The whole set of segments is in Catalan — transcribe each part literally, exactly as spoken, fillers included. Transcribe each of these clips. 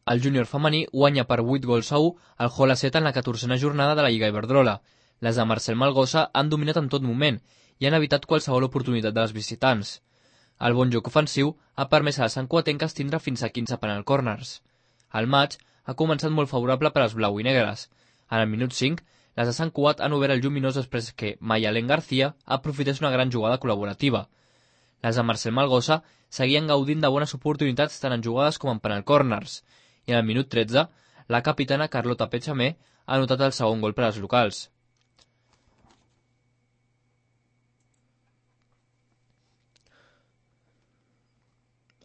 El júnior femení guanya per vuit gols a u al Hola-Set en la catorzena jornada de la Lliga Iberdrola. Les de Marcel Malgosa han dominat en tot moment i han evitat qualsevol oportunitat de les visitants. El bon joc ofensiu ha permès a les santcugatenques tindre fins a quinze penal corners. El maig ha començat molt favorable per als blau i negres. En el minut cinc, les de Sant Cugat han obert el lluminós després que Mayalén García aprofités una gran jugada col·laborativa. Les de Marcel Malgosa seguien gaudint de bones oportunitats tant en jugades com en penal corners, i en el minut tretze, la capitana Carlota Pechamé ha anotat el segon gol per als locals.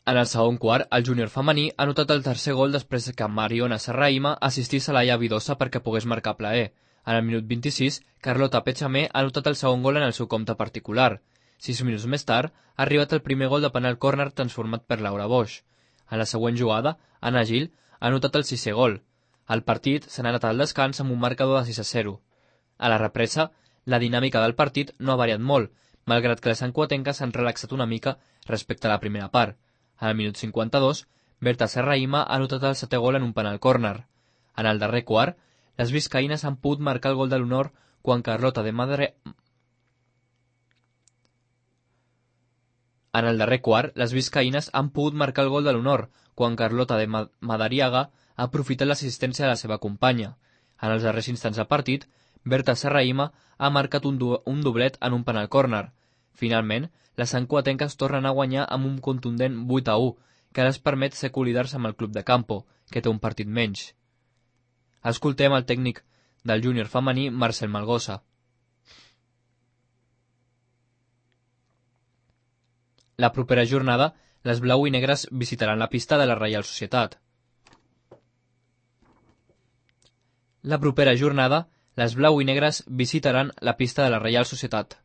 En el segon quart, el júnior femení ha anotat el tercer gol després que Mariona Serraima assistís a Laia Vidosa perquè pogués marcar plaer. En el minut vint-i-sis, Carlota Pechamé ha anotat el segon gol en el seu compte particular. Sis minuts més tard, ha arribat el primer gol de penal córner transformat per Laura Boix. En la següent jugada, Anna Gil ha anotat el sisè gol. El partit s'ha anat al descans amb un marcador de sis a zero. A la represa, la dinàmica del partit no ha variat molt, malgrat que les santcugatenques s'han relaxat una mica respecte a la primera part. En el minut cinquanta-dos, Berta Serraima ha anotat el setè gol en un penal córner. En el darrer quart, les biscaïnes han pogut marcar el gol de l'honor quan Carlota de Madre... En el darrer quart, les biscaïnes han pogut marcar el gol de l'honor quan Carlota de Madariaga ha aprofitat l'assistència de la seva companya. En els darrers instants del partit, Berta Serraima ha marcat un, do un doblet en un penal córner. Finalment, les santcugatenques tornen a guanyar amb un contundent vuit a u, que les permet ser colidars amb el club de campo, que té un partit menys. Escoltem el tècnic del júnior femení, Marcel Malgosa. La propera jornada, les blau i negres visitaran la pista de la Reial Societat. La propera jornada, les blau i negres visitaran la pista de la Reial Societat.